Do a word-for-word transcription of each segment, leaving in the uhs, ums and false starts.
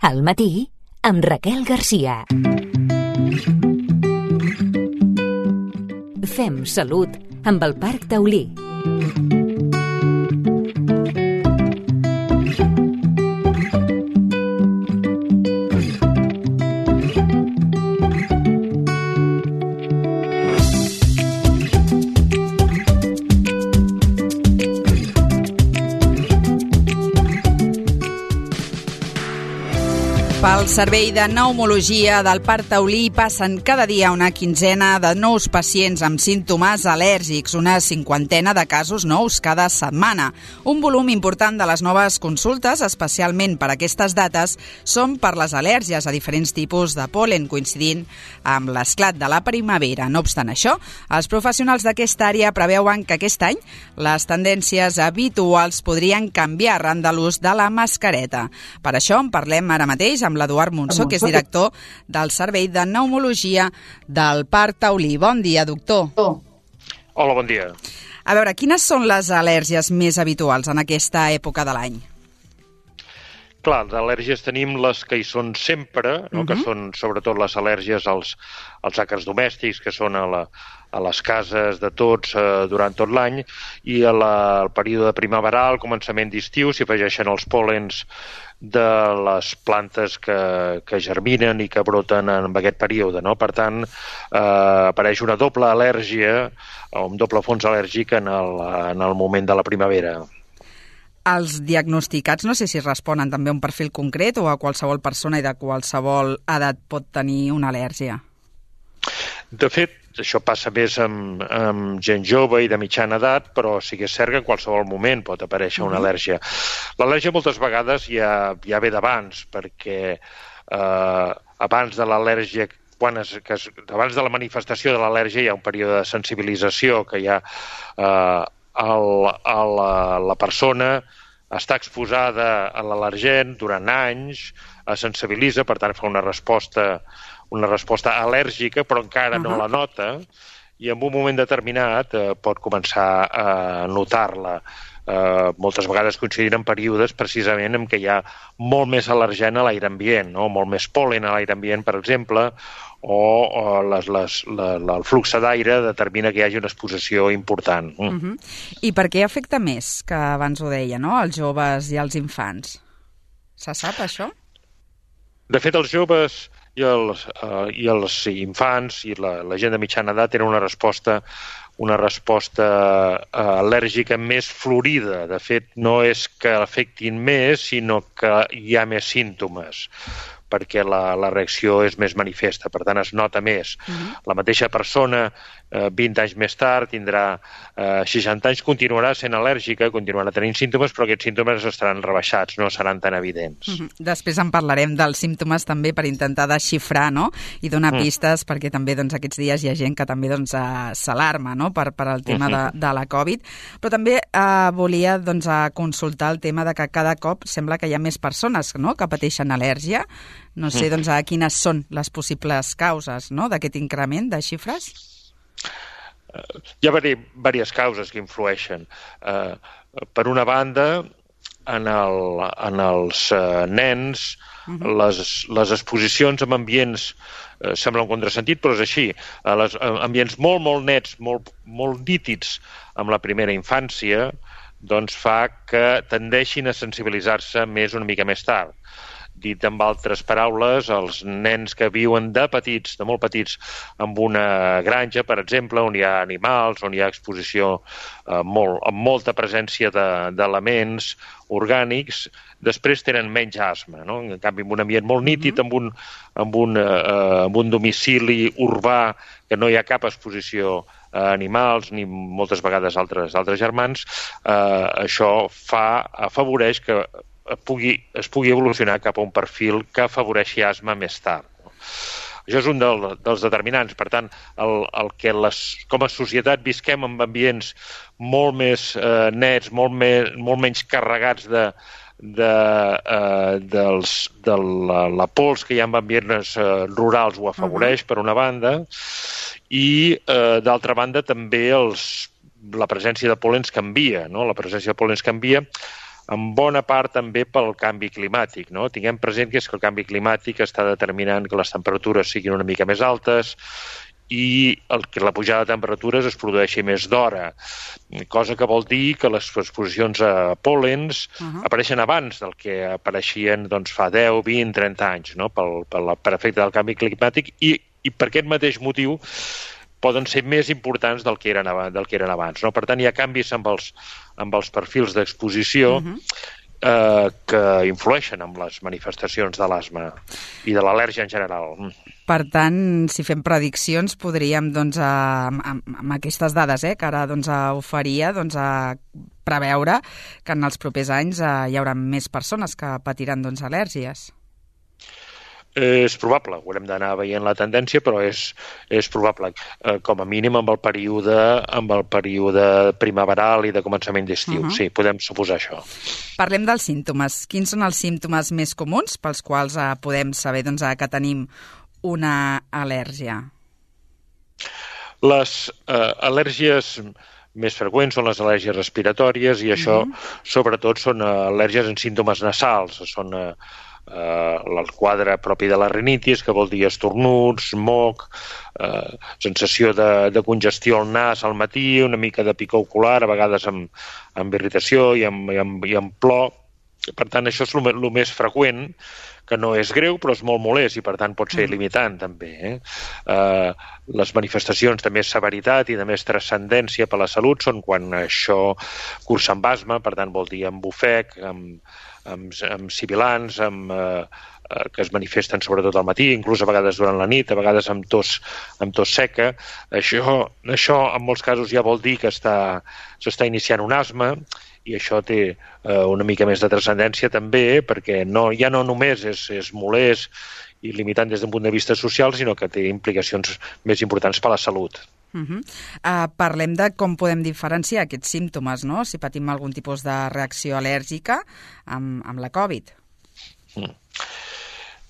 Al matí, amb Raquel Garcia. Fem salut amb el Parc Taulí. Pel Servei de Pneumologia del Parc Taulí passen cada dia una quinzena de nous pacients amb símptomes al·lèrgics, una cinquantena de casos nous cada setmana. Un volum important de les noves consultes, especialment per aquestes dates, són per les al·lèrgies a diferents tipus de pol·len, coincidint amb l'esclat de la primavera. No obstant això, els professionals d'aquesta àrea preveuen que aquest any les tendències habituals podrien canviar arran de l'ús de la mascareta. Per això en parlem ara mateix amb l'Eduard Monsó, que és director del Servei de Pneumologia del Parc Taulí. Bon dia, doctor. Hola, bon dia. A veure, quines són les al·lèrgies més habituals en aquesta època de l'any? Clar, d'al·lèrgies tenim les que hi són sempre, no? uh-huh. que són sobretot les al·lèrgies als, als àcars domèstics, que són a, la, a les cases de tots eh, durant tot l'any, i a la, al període primaveral, començament d'estiu, s'hi afegeixen els pòl·lens de les plantes que, que germinen i que broten en aquest període, no? Per tant, eh, apareix una doble al·lèrgia, o un doble fons al·lèrgic en el, en el moment de la primavera. Els diagnosticats no sé si responen també a un perfil concret o a qualsevol persona i de qualsevol edat pot tenir una al·lèrgia. De fet, això passa més amb, amb gent jove i de mitjana edat, però sí que és cert que en qualsevol moment pot aparèixer una al·lèrgia. L'al·lèrgia moltes vegades ja, ja ve d'abans, perquè eh, abans de l'al·lèrgia, quan es, que es, abans de la manifestació de l'al·lèrgia hi ha un període de sensibilització que hi ha eh, el, el, la persona està exposada a l'al·lergen durant anys, es sensibilitza, per tant fa una resposta una resposta al·lèrgica, però encara uh-huh. no la nota, i en un moment determinat eh, pot començar a notar-la. Eh, moltes vegades coincidint en períodes precisament en què hi ha molt més al·lergen a l'aire ambient, no? Molt més pol·len a l'aire ambient, per exemple, o, o les, les, la, la, el flux d'aire determina que hi hagi una exposició important. Mm. Uh-huh. I per què afecta més, que abans ho deia, no? Els joves i els infants? Se sap això? De fet, els joves i els, uh, i els infants i la, la gent de mitjana edat tenen una resposta una resposta uh, al·lèrgica més florida. De fet, no és que afectin més, sinó que hi ha més símptomes, perquè la, la reacció és més manifesta, per tant es nota més. Uh-huh. La mateixa persona, eh, vint anys més tard, tindrà eh, seixanta anys, continuarà sent al·lèrgica, continuarà tenint símptomes, però aquests símptomes estaran rebaixats, no seran tan evidents. Uh-huh. Després en parlarem dels símptomes també per intentar desxifrar, no? I donar uh-huh. pistes, perquè també doncs, aquests dies hi ha gent que també doncs, uh, s'alarma, no? per, per al tema uh-huh. de, de la Covid. Però també uh, volia doncs, uh, consultar el tema de que cada cop sembla que hi ha més persones, no? que pateixen al·lèrgia. No sé doncs, a quines són les possibles causes, no? d'aquest increment de xifres? Hi ha diverses causes que influeixen. Uh, per una banda, en, el, en els uh, nens, uh-huh. les, les exposicions en ambients, uh, sembla un contrasentit, però és així, uh, les, uh, ambients molt, molt nets, molt, molt nítids amb la primera infància, doncs fa que tendeixin a sensibilitzar-se més una mica més tard. Dit amb altres paraules, els nens que viuen de petits, de molt petits, amb una granja, per exemple, on hi ha animals, on hi ha exposició eh, molt, amb molta presència d'elements orgànics, després tenen menys asma. No? En canvi, en un ambient molt nítid, amb un, amb un, eh, amb un domicili urbà que no hi ha cap exposició a animals ni moltes vegades altres, altres germans, eh, això fa, afavoreix que Pugui, es pugui evolucionar cap a un perfil que afavoreixi asma més tard. Això és un del, dels determinants. Per tant, el, el que les, com a societat visquem en ambients molt més eh, nets, molt, més, molt menys carregats de, de, eh, dels, de la, la pols que hi ha en ambients eh, rurals ho afavoreix, uh-huh. per una banda, i eh, d'altra banda també els, la presència de pol·lens canvia, no? La presència de pol·lens canvia en bona part també pel canvi climàtic, no? Tinguem present que és que el canvi climàtic està determinant que les temperatures siguin una mica més altes i el, que la pujada de temperatures es produeixi més d'hora, cosa que vol dir que les exposicions a pòl·lens uh-huh. apareixen abans del que apareixien doncs, fa deu, vint, trenta anys, no? pel, pel, per efecte del canvi climàtic i, i per aquest mateix motiu poden ser més importants del que eren abans. Del que eren abans, no? Per tant, hi ha canvis amb els, amb els perfils d'exposició uh-huh. eh, que influeixen en les manifestacions de l'asma i de l'al·lèrgia en general. Per tant, si fem prediccions, podríem, doncs, a, amb, amb aquestes dades eh, que ara doncs, oferia, doncs, a preveure que en els propers anys eh, hi haurà més persones que patiran doncs, al·lèrgies. És probable, ho haurem d'anar veient la tendència, però és, és probable, eh, com a mínim amb el període, amb el període primaveral i de començament d'estiu. Uh-huh. Sí, podem suposar això. Parlem dels símptomes. Quins són els símptomes més comuns pels quals eh, podem saber doncs, que tenim una al·lèrgia? Les eh, al·lèrgies més freqüents són les al·lèrgies respiratòries i això, uh-huh. sobretot, són al·lèrgies en símptomes nasals, són eh, Uh, el quadre propi de la rinitis, que vol dir estornuts, moc, uh, sensació de, de congestió al nas al matí, una mica de picor ocular, a vegades amb, amb irritació i amb, i amb, i amb plor. Per tant, això és el, el més freqüent, que no és greu, però és molt molest i, per tant, pot ser limitant, també. Eh? Uh, les manifestacions de més severitat i de més transcendència per a la salut són quan això cursa amb asma, per tant, vol dir amb bufec, amb amb, amb sibilants, amb, eh, que es manifesten sobretot al matí, inclús a vegades durant la nit, a vegades amb tos, amb tos seca. Això, això en molts casos ja vol dir que està, s'està iniciant un asma i això té eh, una mica més de transcendència també, perquè no, ja no només és, és molest i limitant des d'un punt de vista social, sinó que té implicacions més importants per a la salut. Uh -huh. uh, parlem de com podem diferenciar aquests símptomes, no? Si patim algun tipus de reacció al·lèrgica amb, amb la Covid. Mm.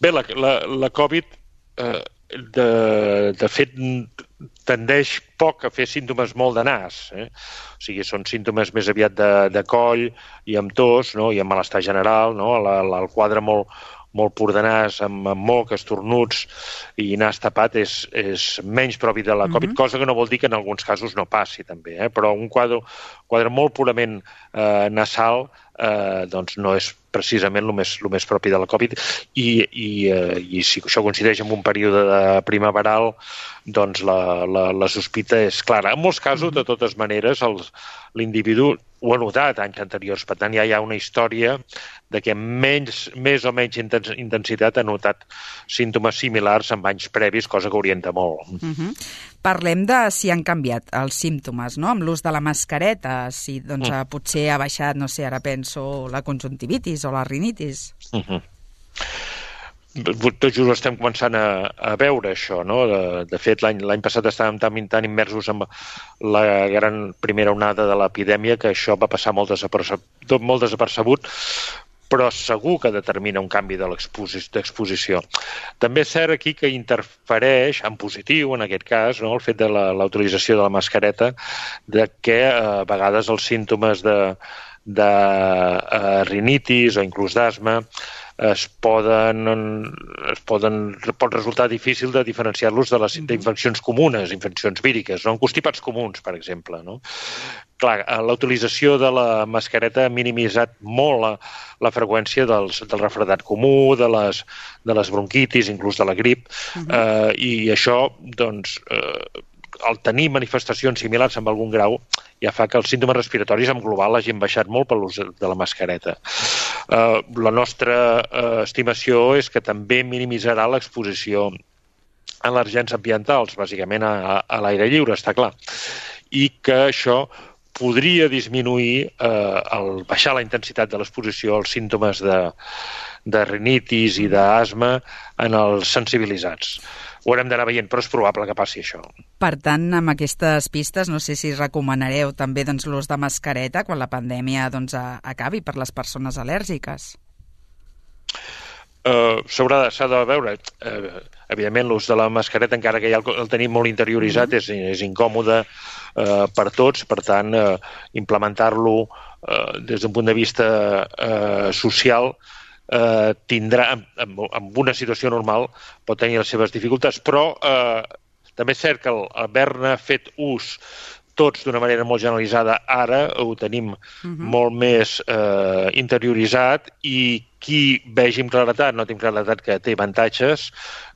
Bé, la, la, la Covid eh, de, de fet tendeix poc a fer símptomes molt de nas. Eh? O sigui, són símptomes més aviat de, de coll i amb tos, no? I amb malestar general, no? La, la, el quadre molt molt pur de nas, amb, amb moc, estornuts i nas tapat és, és menys propi de la Covid, uh-huh. cosa que no vol dir que en alguns casos no passi també, eh? Però un quadre, quadre molt purament eh, nasal eh, doncs no és precisament el més, el més propi de la Covid i, i, eh, i si això coincideix amb un període de primaveral doncs la, la, la sospita és clara. En molts casos, de totes maneres, els, l'individu ho ha notat anys anteriors, per tant ja hi ha una història de que menys, més o menys intensitat ha notat símptomes similars amb anys previs, cosa que orienta molt. Uh-huh. Parlem de si han canviat els símptomes, no? Amb l'ús de la mascareta, si doncs, uh-huh. potser ha baixat, no sé, ara penso, la conjuntivitis o la rinitis. Uh-huh. Tot just ho estem començant a, a veure, això, no? De, de fet, l'any, l'any passat estàvem tan, tan immersos en la gran primera onada de l'epidèmia que això va passar molt desapercebut, molt desapercebut, però segur que determina un canvi de l'exposició. També és cert aquí que interfereix, en positiu en aquest cas, no? El fet de la, la utilització de la mascareta, de que eh, a vegades els símptomes de, de eh, rinitis o inclús d'asma es poden, es poden, pot resultar difícil de diferenciar-los de les infeccions comunes, infeccions víriques, no? En constipats comuns, per exemple, no? Clar, la utilització de la mascareta ha minimitzat molt la, la freqüència dels, del refredat comú, de les, de les bronquitis, inclús de la grip, uh-huh. eh, i això, doncs, eh, al tenir manifestacions similars amb algun grau, ja fa que els símptomes respiratoris en global hagin baixat molt per l'ús de la mascareta. Uh, la nostra uh, estimació és que també minimitzarà l'exposició a al·lèrgens ambientals, bàsicament a, a, a l'aire lliure, està clar, i que això podria disminuir, eh, el, baixar la intensitat de l'exposició als símptomes de, de rinitis i d'asma en els sensibilitzats. Ho haurem d'anar veient, però és probable que passi això. Per tant, amb aquestes pistes, no sé si recomanareu també doncs, l'ús de mascareta quan la pandèmia doncs, acabi per les persones al·lèrgiques. eh, s'haurà de, s'ha de veure. Eh, evidentment, l'ús de la mascareta, encara que ja el, el tenim molt interioritzat, és, és incòmode eh, per tots, per tant, eh, implementar-lo eh, des d'un punt de vista eh, social eh, tindrà, en, en una situació normal, pot tenir les seves dificultats, però eh, també és cert que haver-ne fet ús tots d'una manera molt generalitzada, ara ho tenim uh-huh. molt més eh, interioritzat, i qui vegi amb claretat, no tinc claretat que té avantatges,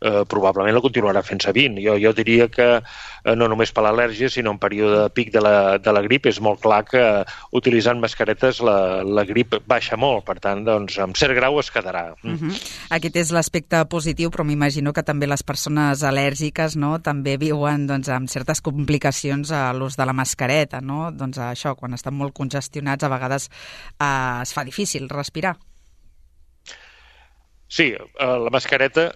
eh, probablement la continuarà fent servint. Jo, jo diria que eh, no només per l'al·lèrgia, sinó en període de pic de la, de la grip, és molt clar que utilitzant mascaretes la, la grip baixa molt, per tant, doncs, amb cert grau es quedarà. Uh-huh. Aquest és l'aspecte positiu, però m'imagino que també les persones al·lèrgiques, no?, també viuen, doncs, amb certes complicacions a l'ús de la mascareta, no? Doncs això, quan estan molt congestionats, a vegades eh, es fa difícil respirar. Sí, la mascareta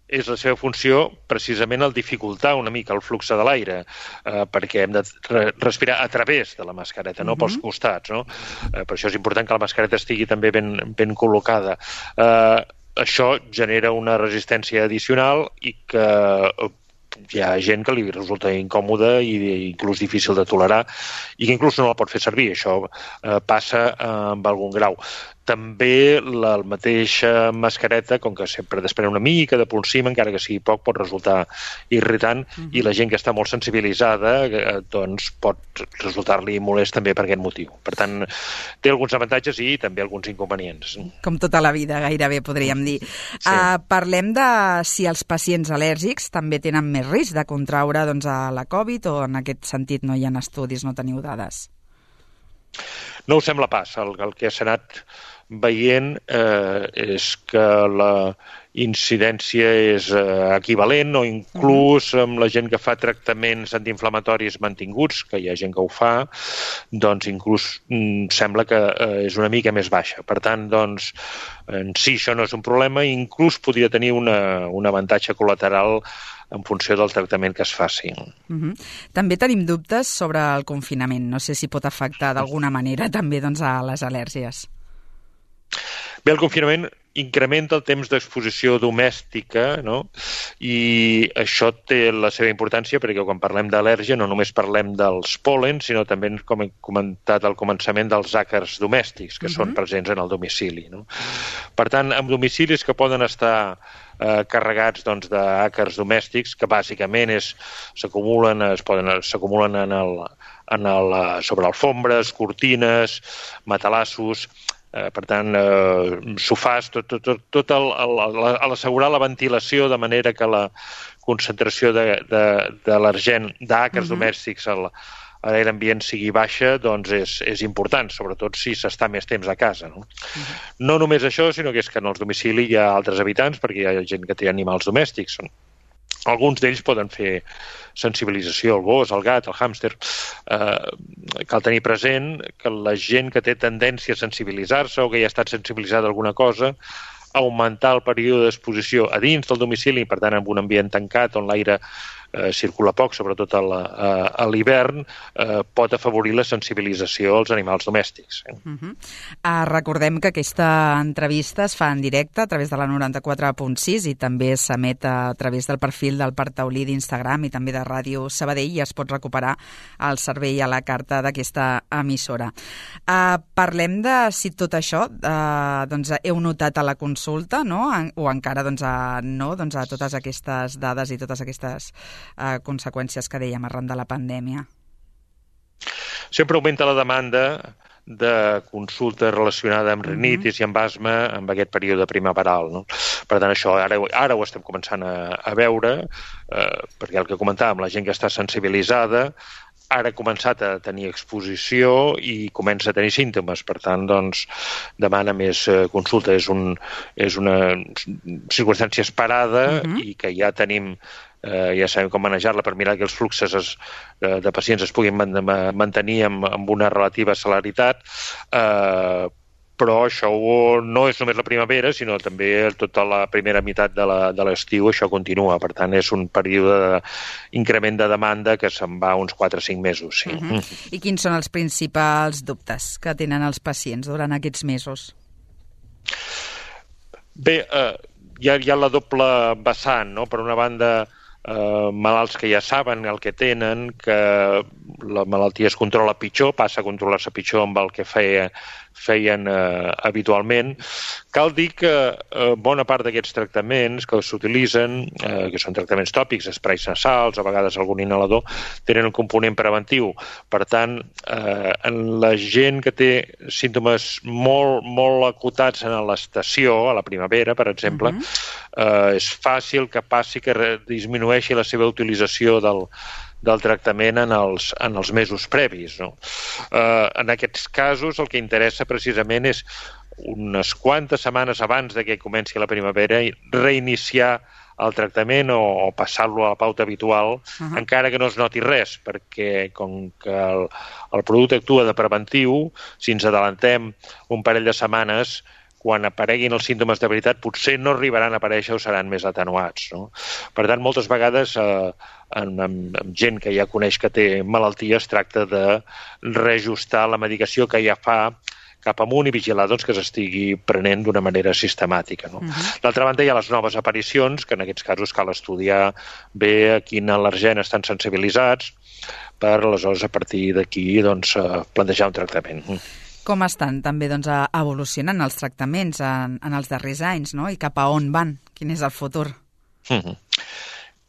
és la seva funció precisament el dificultar una mica el flux de l'aire, eh, perquè hem de respirar a través de la mascareta, no uh-huh. pels costats, no? Eh, per això és important que la mascareta estigui també ben, ben col·locada. Eh, això genera una resistència addicional i que hi ha gent que li resulta incòmode i inclús difícil de tolerar i que inclús no la pot fer servir. Això eh, passa eh, amb algun grau. També la mateixa mascareta, com que sempre desprèn una mica de polsim, encara que sigui poc, pot resultar irritant, uh-huh. i la gent que està molt sensibilitzada eh, doncs pot resultar-li molest també per aquest motiu. Per tant, té alguns avantatges i també alguns inconvenients. Com tota la vida, gairebé, podríem dir. Sí. Uh, parlem de si els pacients al·lèrgics també tenen més risc de contraure doncs, a la Covid, o en aquest sentit no hi ha estudis, no teniu dades? No ho sembla pas. El, el que s'ha anat veient eh, és que la incidència és eh, equivalent, o inclús amb la gent que fa tractaments antiinflamatoris mantinguts, que hi ha gent que ho fa, doncs inclús mm, sembla que eh, és una mica més baixa. Per tant, doncs, en si això no és un problema, inclús podria tenir una, un avantatge col·lateral en funció del tractament que es faci. Uh-huh. També tenim dubtes sobre el confinament. No sé si pot afectar d'alguna manera també doncs, a les al·lèrgies. Bé, el confinament incrementa el temps d'exposició domèstica, no? I això té la seva importància perquè quan parlem d'al·lèrgia no només parlem dels pòlens, sinó també, com he comentat al començament, dels àcars domèstics que uh-huh. són presents en el domicili, no? Per tant, en domicilis que poden estar eh, carregats doncs, d'àcars domèstics, que bàsicament és, s'acumulen, es poden, s'acumulen en el, en el, sobre alfombres, cortines, matalassos, Eh, per tant, eh, sofàs, tot, tot, tot, tot el, el, el, l'assegurar la ventilació de manera que la concentració de, de, de l'argent d'àcars uh-huh. domèstics a l'aire ambient sigui baixa, doncs és, és important, sobretot si s'està més temps a casa. No? Uh-huh. No només això, sinó que és que en els domicilis hi ha altres habitants, perquè hi ha gent que té animals domèstics. Alguns d'ells poden fer sensibilització, el gos, el gat, el hàmster. Eh, cal tenir present que la gent que té tendència a sensibilitzar-se o que ja ha estat sensibilitzada a alguna cosa, augmentar el període d'exposició a dins del domicili, per tant, en un ambient tancat on l'aire eh, circula poc, sobretot a, la, a, a l'hivern, eh, pot afavorir la sensibilització als animals domèstics. Eh? Uh-huh. Uh, recordem que aquesta entrevista es fa en directe a través de la noranta-quatre punt sis i també s'emet a través del perfil del Parc Taulí d'Instagram i també de Ràdio Sabadell, i es pot recuperar el servei a la carta d'aquesta emissora. Uh, parlem de si tot això uh, doncs, heu notat a la consulta, no? O encara doncs, a, no? doncs, a totes aquestes dades i totes aquestes uh, conseqüències que dèiem arran de la pandèmia. Sempre augmenta la demanda de consulta relacionada amb rinitis uh-huh. i amb asma en aquest període primaveral. No? Per tant, això ara, ara ho estem començant a, a veure, eh, perquè el que comentàvem, la gent que està sensibilitzada ara ha començat a tenir exposició i comença a tenir símptomes. Per tant, doncs, demana més eh, consulta. És, un, és una circumstància esperada uh-huh. i que ja tenim Eh, ja sabem com manejar-la per mirar que els fluxos es, eh, de pacients es puguin man- mantenir amb, amb una relativa celeritat, eh, però això no és només la primavera, sinó també tota la primera meitat de, la, de l'estiu això continua. Per tant, és un període d'increment de demanda que se'n va uns quatre o cinc mesos. Sí. Uh-huh. I quins són els principals dubtes que tenen els pacients durant aquests mesos? Bé, eh, hi ha, hi ha la doble vessant, no? Per una banda, eh, malalts que ja saben el que tenen, que la malaltia es controla pitjor, passa a controlar-se pitjor amb el que feia, feien eh, habitualment. Cal dir que eh, bona part d'aquests tractaments que s'utilitzen, eh, que són tractaments tòpics, esprais nasals, a vegades algun inhalador, tenen un component preventiu. Per tant, eh, en la gent que té símptomes molt, molt acotats en l'estació, a la primavera, per exemple, uh-huh. eh, és fàcil que passi que disminueixi la seva utilització del del tractament en els, en els mesos previs. No? Eh, en aquests casos el que interessa precisament és unes quantes setmanes abans de que comenci la primavera reiniciar el tractament o, o passar-lo a la pauta habitual, uh-huh. encara que no es noti res, perquè com que el, el producte actua de preventiu, si ens adelantem un parell de setmanes, quan apareguin els símptomes de veritat, potser no arribaran a aparèixer o seran més atenuats. No? Per tant, moltes vegades, eh, amb, amb, amb gent que ja coneix que té malaltia, es tracta de reajustar la medicació que ja fa cap amunt i vigilar doncs, que s'estigui prenent d'una manera sistemàtica. No? Uh-huh. D'altra banda, hi ha les noves aparicions, que en aquests casos cal estudiar bé a quin al·lergen estan sensibilitzats, per aleshores, a partir d'aquí, doncs, plantejar un tractament. Com estan també doncs, evolucionant els tractaments en, en els darrers anys, no? I cap a on van? Quin és el futur? Mm-hmm.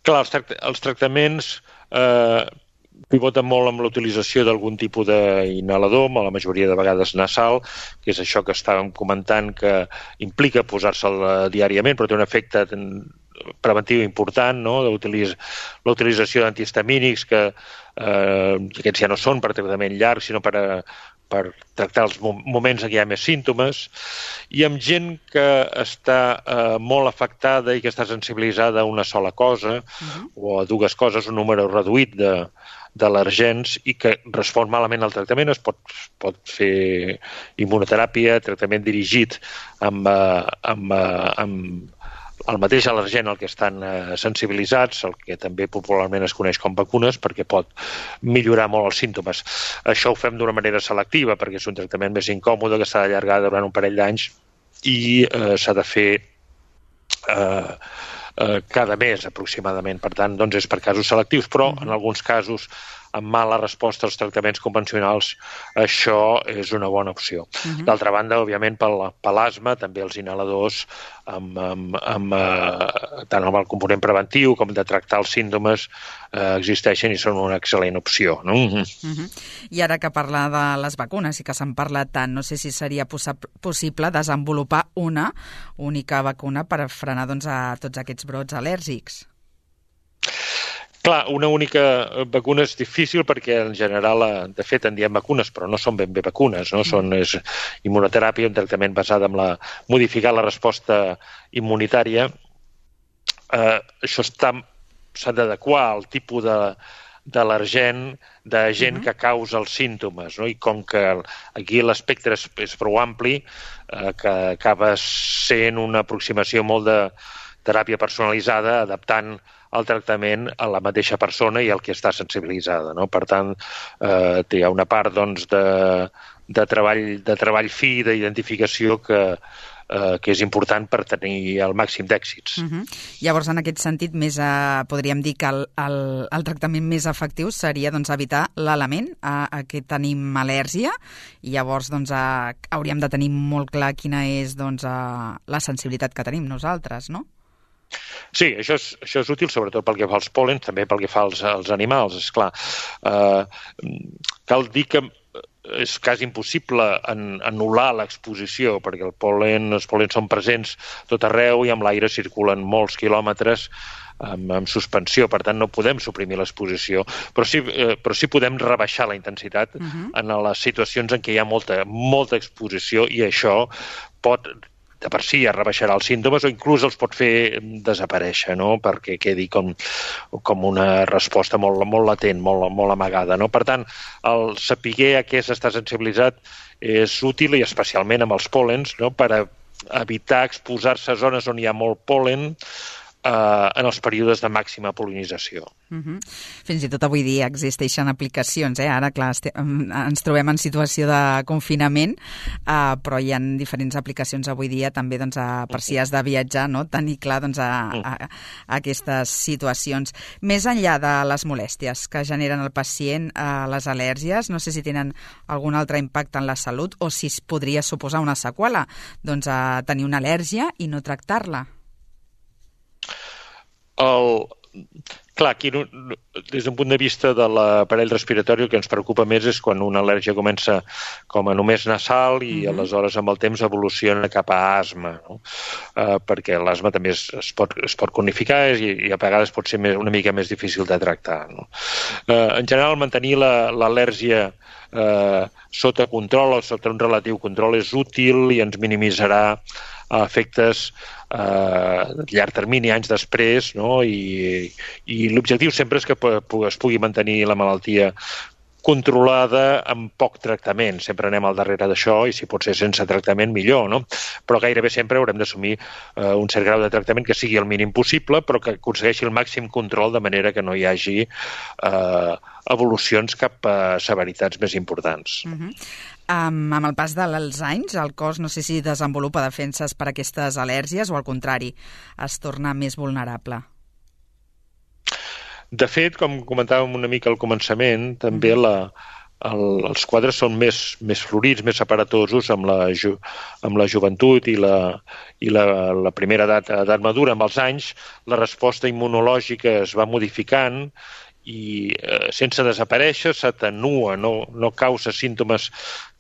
Clar, els, tract els tractaments eh, pivoten molt amb l'utilització d'algun tipus d'inhalador, la majoria de vegades nasal, que és això que estàvem comentant, que implica posar-se'l diàriament, però té un efecte preventiu important, no? La utilització d'antihistamínics, que eh, aquests ja no són per tractament llarg, sinó per a per tractar els moments en què hi ha més símptomes, i amb gent que està eh, molt afectada i que està sensibilitzada a una sola cosa, uh-huh. o a dues coses, un número reduït de, d'al·lergens, i que respon malament al tractament. Es pot, pot fer immunoteràpia, tractament dirigit amb, amb, amb el mateix al·lergen al que estan eh, sensibilitzats, el que també popularment es coneix com vacunes, perquè pot millorar molt els símptomes. Això ho fem d'una manera selectiva, perquè és un tractament més incòmode, que s'ha d'allargar durant un parell d'anys i eh, s'ha de fer eh, eh, cada mes aproximadament. Per tant, doncs és per casos selectius, però en alguns casos amb mala resposta als tractaments convencionals, això és una bona opció. Uh-huh. D'altra banda, òbviament, per l'asma, també els inhaladors, amb, amb, amb, eh, tant amb el component preventiu com de tractar els símptomes, eh, existeixen i són una excel·lent opció. No? Uh-huh. Uh-huh. I ara que parla de les vacunes i que se'n parla tant, no sé si seria possible desenvolupar una única vacuna per frenar doncs, a tots aquests brots al·lèrgics. Clar, una única vacuna és difícil perquè en general, de fet, en diem vacunes, però no són ben bé vacunes, no? Són és immunoteràpia, un tractament basat en la, modificar la resposta immunitària. Eh, això està, s'ha d'adequar al tipus de, d'al·lergen de gent uh-huh. que causa els símptomes, no? I com que aquí l'espectre és, és prou ampli, eh, que acaba sent una aproximació molt de teràpia personalitzada, adaptant el tractament a la mateixa persona i al que està sensibilitzada. No? Per tant, eh, hi ha una part doncs, de, de, treball, de treball fi, d'identificació que, eh, que és important per tenir el màxim d'èxits. Uh-huh. Llavors, en aquest sentit, més, eh, podríem dir que el, el, el tractament més efectiu seria doncs, evitar l'element a, a què tenim al·lèrgia, i llavors doncs, a, hauríem de tenir molt clar quina és doncs, a, la sensibilitat que tenim nosaltres, no? Sí, això és, això és útil sobretot pel que fa als pòlens, també pel que fa als, als animals, esclar. Uh, cal dir que és quasi impossible en, anul·lar l'exposició, perquè el pol·len, els pòlens són presents tot arreu i amb l'aire circulen molts quilòmetres amb, amb suspensió, per tant no podem suprimir l'exposició, però sí, eh, però sí podem rebaixar la intensitat uh-huh. en les situacions en què hi ha molta, molta exposició, i això pot de per si ja rebaixarà els símptomes o inclús els pot fer desaparèixer, no? Perquè quedi com, com una resposta molt, molt latent, molt, molt amagada. No? Per tant, el saber a què s'està sensibilitzat és útil, i especialment amb els pòlens, no? Per evitar exposar-se a zones on hi ha molt pol·len, eh, en els períodes de màxima pol·linització. Uh-huh. Fins i tot avui dia existeixen aplicacions, eh? Ara, clar, este, ens trobem en situació de confinament, uh, però hi ha diferents aplicacions avui dia també, doncs, a, per si has de viatjar, no? Tenir clar, doncs, a, a, a aquestes situacions. Més enllà de les molèsties que generen el pacient, uh, les al·lèrgies, no sé si tenen algun altre impacte en la salut o si es podria suposar una seqüela, doncs, a tenir una al·lèrgia i no tractar-la. El... Clar, aquí, des d'un punt de vista de l'aparell respiratori, el que ens preocupa més és quan una al·lèrgia comença com a només nasal i mm-hmm. aleshores amb el temps evoluciona cap a asma, no? Uh, perquè l'asma també es, es, pot, es pot cronificar i, i a vegades pot ser més, una mica més difícil de tractar, no? Uh, en general, mantenir l'al·lèrgia uh, sota control o sota un relatiu control és útil i ens minimitzarà efectes eh, a llarg termini, anys després, no? I, i l'objectiu sempre és que es pugui mantenir la malaltia controlada amb poc tractament. Sempre anem al darrere d'això i si pot ser sense tractament millor, no? Però gairebé sempre haurem d'assumir eh, un cert grau de tractament que sigui el mínim possible però que aconsegueixi el màxim control de manera que no hi hagi eh, evolucions cap a severitats més importants. Uh-huh. Um, amb el pas dels anys, el cos no sé si desenvolupa defenses per a aquestes al·lèrgies o al contrari, es torna més vulnerable. De fet, com comentàvem una mica al començament, també la, el, els quadres són més, més florits, més aparatosos amb la, ju, amb la joventut i la, i la, la primera edat, edat madura. Amb els anys, la resposta immunològica es va modificant i eh, sense desaparèixer s'atenua, no, no causa símptomes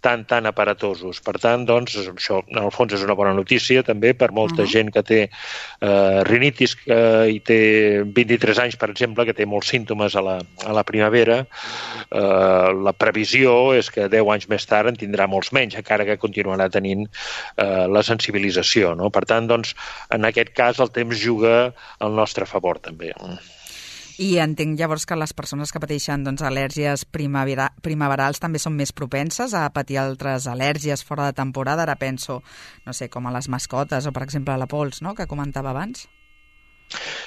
tan, tan aparatosos. Per tant, doncs, això en el fons és una bona notícia també per molta uh-huh. gent que té eh, rinitis eh, i té vint-i-tres anys, per exemple, que té molts símptomes a la, a la primavera. Eh, la previsió és que deu anys més tard en tindrà molts menys, encara que continuarà tenint eh, la sensibilització, no? Per tant, doncs, en aquest cas el temps juga al nostre favor també. I entenc llavors que les persones que pateixen doncs, al·lèrgies primavera, primaverals també són més propenses a patir altres al·lèrgies fora de temporada. Ara penso, no sé, com a les mascotes o, per exemple, a la pols, no?, que comentava abans.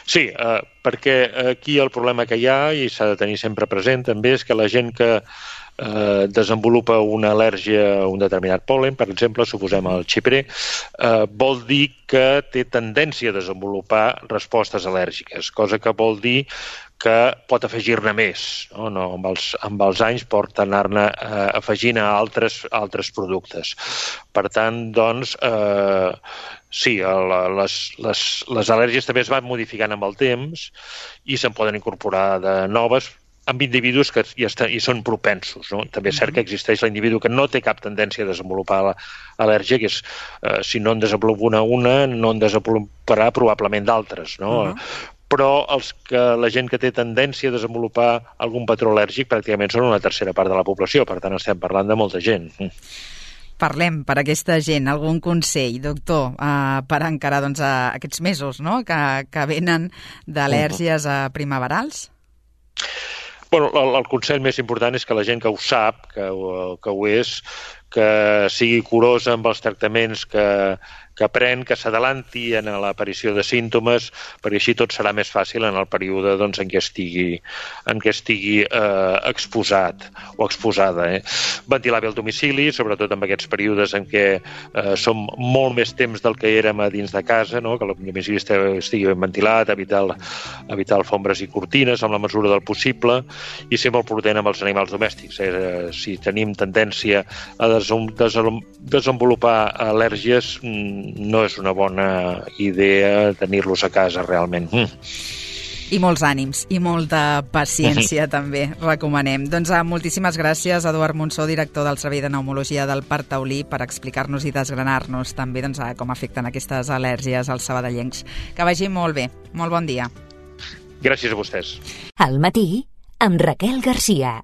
Sí, eh, perquè aquí el problema que hi ha, i s'ha de tenir sempre present també, és que la gent que eh, desenvolupa una al·lèrgia a un determinat pol·len, per exemple, suposem el xiprer, eh, vol dir que té tendència a desenvolupar respostes al·lèrgiques, cosa que vol dir que pot afegir-ne més, no? No, amb, els, amb els anys pot anar-ne eh, afegint a altres, altres productes. Per tant, doncs, eh, sí, el, les, les, les al·lèrgies també es van modificant amb el temps i se'n poden incorporar de noves amb individus que hi, estan, hi són propensos, no? També és cert que existeix l'individu que no té cap tendència a desenvolupar l'al·lèrgia, que és, eh, si no en desenvolupa una, una, no en desenvoluparà probablement d'altres, no? Uh-huh. Però els que, la gent que té tendència a desenvolupar algun patró al·lèrgic pràcticament són una tercera part de la població, per tant estem parlant de molta gent. Parlem per aquesta gent, algun consell, doctor, eh, per encarar doncs, aquests mesos, no?, que, que venen d'al·lèrgies uh-huh. primaverals? Bueno, el, el consell més important és que la gent que ho sap, que, que ho és, que sigui curosa amb els tractaments que, que pren, que s'adalanti en l'aparició de símptomes, perquè així tot serà més fàcil en el període doncs, en què estigui, en què estigui eh, exposat o exposada. Eh? Ventilar bé el domicili, sobretot en aquests períodes en què eh, som molt més temps del que érem a dins de casa, no? Que el domicili estigui ben ventilat, evitar, evitar alfombres i cortines en la mesura del possible i ser molt prudent amb els animals domèstics. Eh? Si tenim tendència a desenvolupar al·lèrgies, no és una bona idea tenir-los a casa realment. I molts ànims i molta paciència també recomanem. Doncs moltíssimes gràcies, Eduard Monsó, director del Servei de Pneumologia del Parc Taulí, per explicar-nos i desgranar-nos també doncs, com afecten aquestes al·lèrgies als sabadellencs. Que vagi molt bé. Molt bon dia. Gràcies a vostès. Al matí, amb Raquel Garcia.